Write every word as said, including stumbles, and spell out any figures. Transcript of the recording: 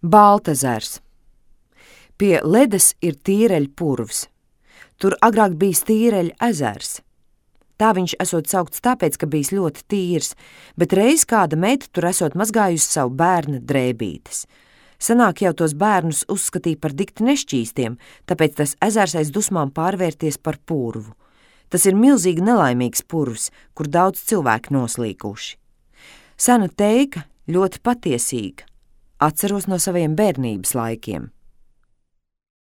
Baltezers. Pie Ledes ir Tīreļu purvs. Tur agrāk bijis Tīreļu ezers. Tā viņš esot saukts tāpēc, ka bijis ļoti tīrs, bet reiz kāda meita tur esot mazgājusi savu bērna drēbītes. Senāk jau tos bērnus uzskatīja par dikti nešķīstiem, tāpēc tas ezers aiz dusmām pārvērties par purvu. Tas ir milzīgi nelaimīgs purvs, kur daudz cilvēku noslīkuši. Sena teika ļoti patiesīga. Atceros no saviem bērnības laikiem.